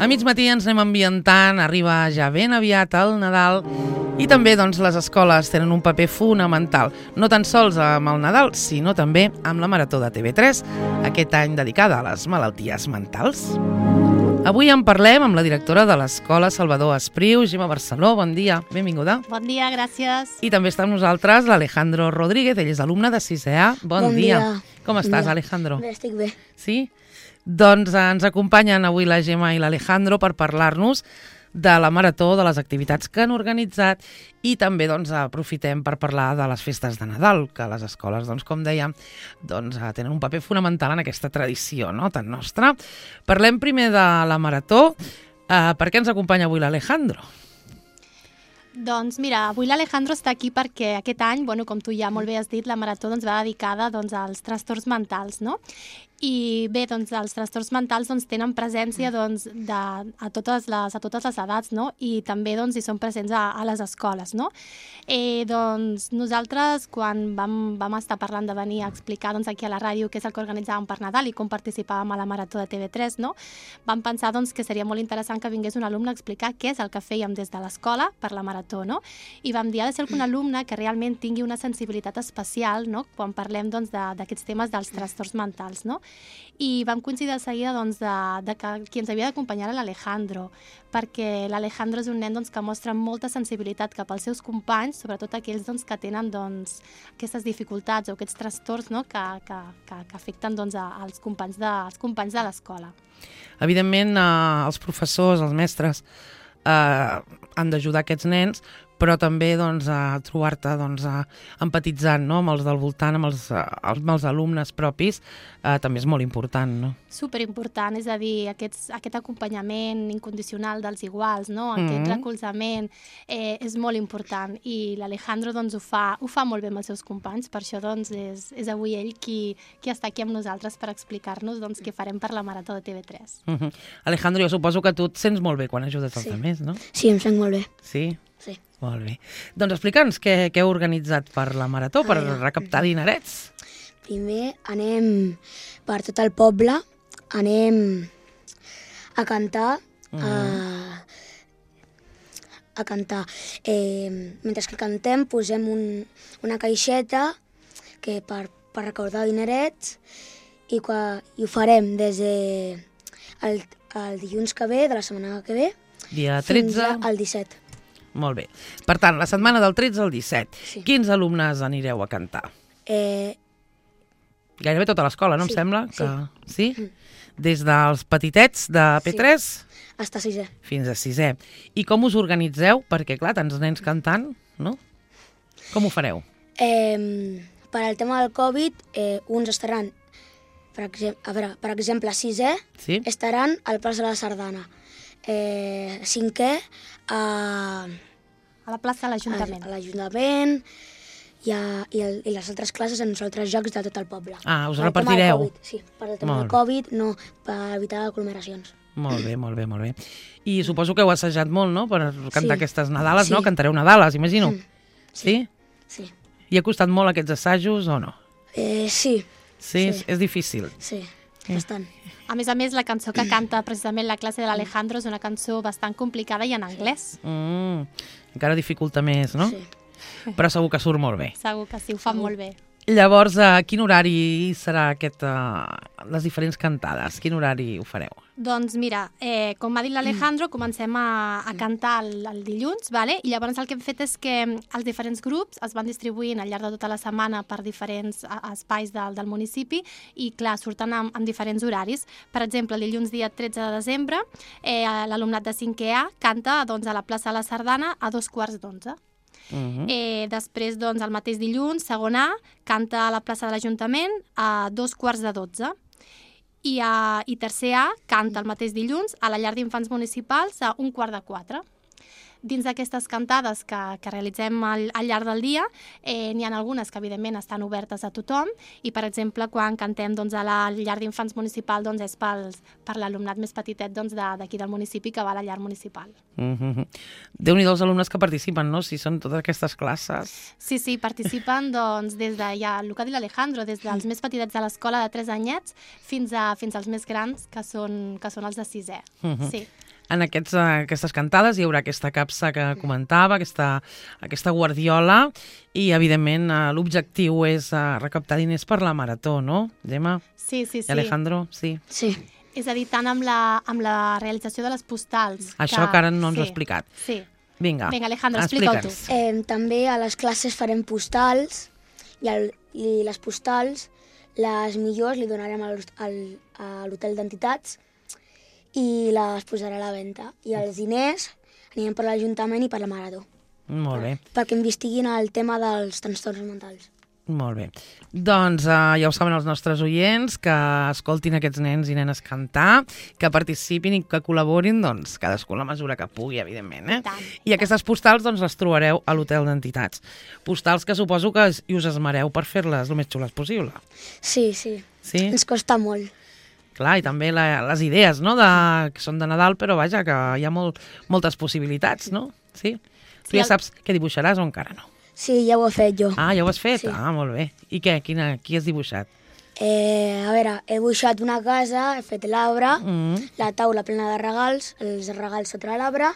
A mig matí ens anem ambientant, arriba ja ben aviat el Nadal i també doncs, les escoles tenen un paper fonamental, no tan sols amb el Nadal, sinó també amb la Marató de TV3, aquest any dedicada a les malalties mentals. Avui en parlem amb la directora de l'Escola Salvador Espriu, Gemma Barceló. Bon dia, benvinguda. Bon dia, gràcies. I també està amb nosaltres l'Alejandro Rodríguez, ell és alumne de 6è A. Bon dia. Com estàs, Alejandro? Bé, estic bé. Sí? Doncs ens acompanyen avui la Gemma i l'Alejandro per parlar-nos de la Marató, de les activitats que han organitzat i també aprofitem per parlar de les festes de Nadal, que les escoles, com dèiem, tenen un paper fonamental en aquesta tradició, no?, tan nostra. Parlem primer de la Marató. Per què ens acompanya avui l'Alejandro? Doncs mira, avui l'Alejandro està aquí perquè aquest any, com tu ja molt bé has dit, la Marató va dedicada als trastorns mentals, no? I bé, els trastorns mentals tenen presència a totes les edats, no? I també hi són presents a les escoles, no? Nosaltres, quan vam estar parlant de venir a explicar aquí a la ràdio què és el que organitzàvem per Nadal i com participàvem a la Marató de TV3, no? Vam pensar que seria molt interessant que vingués un alumne a explicar què és el que fèiem des de l'escola per la Marató, no? I vam dir, ha de ser algun alumne que realment tingui una sensibilitat especial, no?, quan parlem d'aquests temes dels trastorns mentals, no? I vam coincidir de seguida de que qui ens havia d'acompanyar era l'Alejandro, perquè l'Alejandro és un nen que mostra molta sensibilitat cap als seus companys, sobretot aquells que tenen aquestes dificultats o aquests trastorns, no?, que afecten als companys de l'escola. Evidentment, els professors, els mestres, han d'ajudar aquests nens, però també a trobar-te empatitzant, no?, amb els del voltant, amb els alumnes propis, també és molt important, no? Superimportant, és a dir, aquest acompanyament incondicional dels iguals, no?, aquest recolzament és molt important i l'Alejandro ho fa molt bé amb els seus companys, per això és avui ell qui està aquí amb nosaltres per explicar-nos què farem per la Marató de TV3. Alejandro, jo suposo que tu et sents molt bé quan ajudes els altres, no? Sí, em sent molt bé. Sí? Sí. Molt bé. Doncs explica'ns què heu organitzat per la Marató, per recaptar dinerets. Primer anem per tot el poble, anem a cantar, mentre que cantem posem una caixeta per recaudar dinerets i ho farem des del dilluns que ve, de la setmana que ve, Dia 13. fins al 17. Molt bé. Per tant, la setmana del 13 al 17. Sí. Quins alumnes anireu a cantar? Gairebé tota l'escola, no em sembla? Sí? Des dels petitets de P3 Fins a 6è. fins a 6è. I com us organitzeu? Perquè, clar, tants nens cantant, no? Com ho fareu? Per al tema del Covid, uns estaran, per exemple, 6è, Sí? estaran al plaça de la Sardana. 5è a A la plaça de l'Ajuntament. l'Ajuntament i les altres classes en els altres jocs de tot el poble. Ah, us Per al tema del repartireu? Covid, sí, per al tema Molt del Covid, no, per evitar aglomeracions. Molt bé, molt bé, molt bé. I suposo que heu assajat molt, no?, per cantar Sí. aquestes Nadales, no? Sí. Cantareu Nadales, imagino. Sí? Sí. I ha costat molt aquests assajos o no? Sí, Sí, Sí. és difícil. sí, bastant. A més, la cançó que canta precisament la classe de l'Alejandro és una cançó bastant complicada i en anglès. Encara dificulta més, no? Sí. Però segur que surt molt bé. Segur que sí, ho fa molt bé. Llavors, a quin horari serà les diferents cantades? Quin horari ho fareu? Doncs mira, com ha dit l'Alejandro, comencem a cantar el dilluns, vale? I llavors el que hem fet és que els diferents grups es van distribuint al llarg de tota la setmana per diferents espais del municipi i, clar, surten en diferents horaris. Per exemple, el dilluns dia 13 de desembre, l'alumnat de 5è A canta a la plaça de la Sardana a 2:15. Després, el mateix dilluns, segon A, canta a la plaça de l'Ajuntament a 2:15. I tercer A canta el mateix dilluns a la llar d'infants municipals a 3:15. Dins d'aquestes cantades que realitzem al llarg del dia, n'hi ha algunes que, evidentment, estan obertes a tothom i, per exemple, quan cantem a la llar d'infants municipal és per l'alumnat més petitet d'aquí del municipi que va a la llar municipal. Déu-n'hi-do els alumnes que participen, no?, si són totes aquestes classes. Sí, participen des de, ja, el que ha dit l'Alejandro, des dels més petitets de l'escola de 3 anyets fins als més grans, que són els de 6è. Sí. en aquestes cantades hi haurà aquesta capsa que comentava, aquesta guardiola, i evidentment l'objectiu és recaptar diners per la marató, no, Gemma? Sí. Alejandro, sí. Sí. És a dir, tant amb la realització de les postals... Això que ara no ens ho has explicat. Sí. Vinga, Alejandro, explica-ho tu. També a les classes farem postals i les postals, les millors li donarem a l'hotel d'entitats i les posarà a la venda. I els diners anirem per l'Ajuntament i per la Marató. Molt bé. Perquè investiguin el tema dels trastorns mentals. Molt bé. Doncs ja ho saben els nostres oients, que escoltin aquests nens i nenes cantar, que participin i que col·laborin, doncs, cadascú a la mesura que pugui, evidentment. I aquestes postals doncs, les trobareu a l'hotel d'entitats. Postals que suposo que us esmereu per fer-les el més xules possible. Sí. Sí? Ens costa molt. Clar, i també les idees, no?, que són de Nadal, però vaja, que hi ha moltes possibilitats, no? Sí? Tu ja saps què dibuixaràs o encara no? Sí, ja ho he fet jo. Ah, ja ho has fet? Sí. Ah, molt bé. I què? Qui has dibuixat? A veure, he dibuixat una casa, he fet l'arbre, la taula plena de regals, els regals sota l'arbre,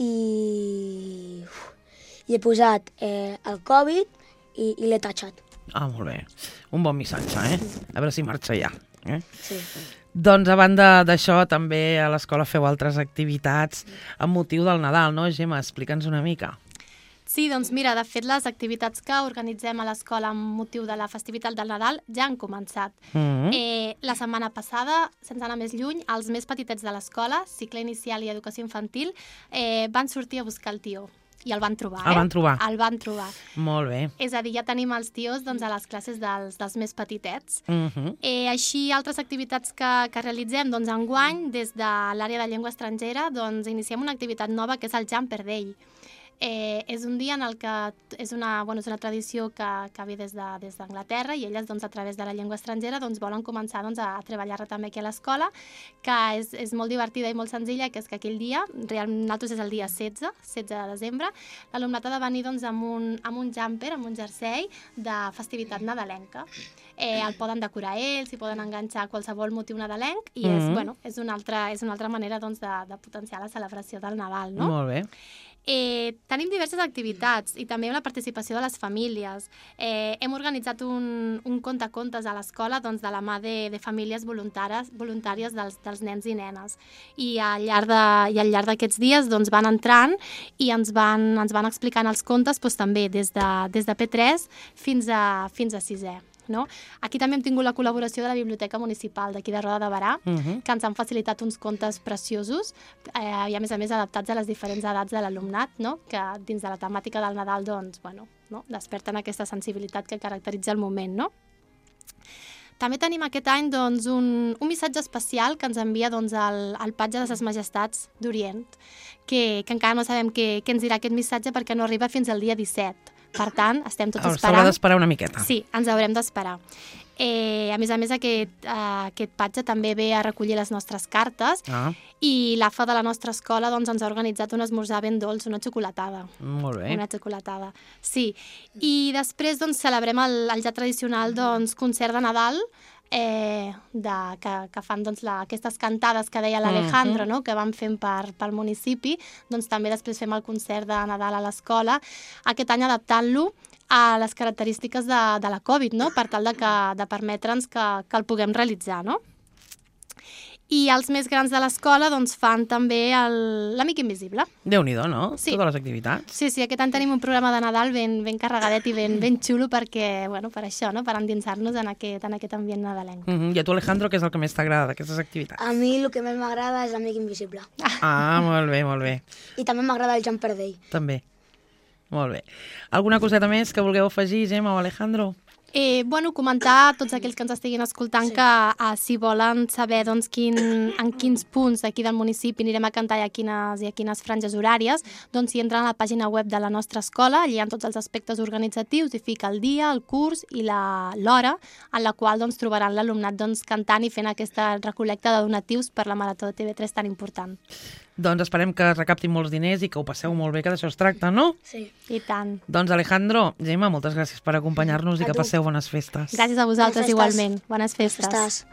i he posat el Covid i l'he tatxat. Ah, molt bé. Un bon missatge, A veure si marxa ja. Sí. Doncs a banda d'això, també a l'escola feu altres activitats amb motiu del Nadal, no, Gemma? Explica'ns una mica. Sí, doncs mira, de fet les activitats que organitzem a l'escola amb motiu de la festivitat del Nadal ja han començat. La setmana passada, sense anar més lluny, els més petitets de l'escola, cicle inicial i educació infantil, van sortir a buscar el tió. I el van trobar, El van trobar? El van trobar. Molt bé. És a dir, ja tenim els tios doncs, a les classes dels més petitets. Així, altres activitats que realitzem, doncs enguany, des de l'àrea de llengua estrangera, doncs iniciem una activitat nova que és el Jumper Day. És un dia en el que és una tradició que ve des d'Anglaterra i elles doncs, a través de la llengua estrangera doncs, volen començar doncs, a treballar-la també aquí a l'escola, que és molt divertida i molt senzilla, que és que aquell dia, nosaltres és el dia 16 de desembre, l'alumnat ha de venir doncs, amb un jumper, amb un jersei de festivitat nadalenca. El poden decorar ells, hi poden enganxar qualsevol motiu nadalenc i és una altra manera doncs, de potenciar la celebració del Nadal. No? Molt bé. Tenim diverses activitats i també la participació de les famílies. Hem organitzat un contacontes a l'escola doncs, de la mà de famílies voluntàries dels nens i nenes. I al llarg d'aquests dies doncs, van entrant i ens van explicant els contes doncs, també des de P3 fins a 6è. No? Aquí també hem tingut la col·laboració de la Biblioteca Municipal d'aquí de Roda de Berà, que ens han facilitat uns contes preciosos i a més adaptats a les diferents edats de l'alumnat, no? Que dins de la temàtica del Nadal doncs, desperten aquesta sensibilitat que caracteritza el moment. No? També tenim aquest any doncs, un missatge especial que ens envia doncs, el Patge de ses Majestats d'Orient, que encara no sabem què ens dirà aquest missatge perquè no arriba fins al dia 17. Per tant, estem tots esperant... S'haurà d'esperar una miqueta. Sí, ens haurem d'esperar. A més, aquest patge també ve a recollir les nostres cartes i l'AFA de la nostra escola doncs, ens ha organitzat un esmorzar ben dolç, una xocolatada. Molt bé. Una xocolatada, sí. I després doncs, celebrem el ja tradicional doncs, concert de Nadal, que fan doncs, aquestes cantades que deia l'Alejandro, no? Que van fent pel municipi, doncs també després fem el concert de Nadal a l'escola, aquest any adaptant-lo a les característiques de la Covid, no? Per tal de permetre'ns que el puguem realitzar, no? I els més grans de l'escola doncs, fan també l'Amic Invisible. Déu-n'hi-do, no? Sí. Totes les activitats. Sí, aquest any tenim un programa de Nadal ben carregadet i ben xulo perquè, per això, no? Per endinsar-nos en aquest ambient nadalenc. I a tu, Alejandro, què és el que més t'agrada d'aquestes activitats? A mi el que més m'agrada és l'Amic Invisible. Ah, molt bé, molt bé. I també m'agrada el Jumper Day. També. Molt bé. Alguna coseta més que vulgueu afegir, Gemma o Alejandro? Comentar a tots aquells que ens estiguin escoltant que si volen saber doncs, en quins punts d'aquí del municipi anirem a cantar i a quines franges horàries, doncs si entren a la pàgina web de la nostra escola, allà hi ha tots els aspectes organitzatius i fica el dia, el curs i l'hora en la qual doncs, trobaran l'alumnat doncs, cantant i fent aquesta recol·lecta de donatius per la Marató de TV3 tan important. Doncs esperem que recaptin molts diners i que ho passeu molt bé, que d'això es tracta, no? Sí. I tant. Doncs Alejandro, Gemma, moltes gràcies per acompanyar-nos i que passeu bones festes. Gràcies a vosaltres igualment. Bones festes. Festes.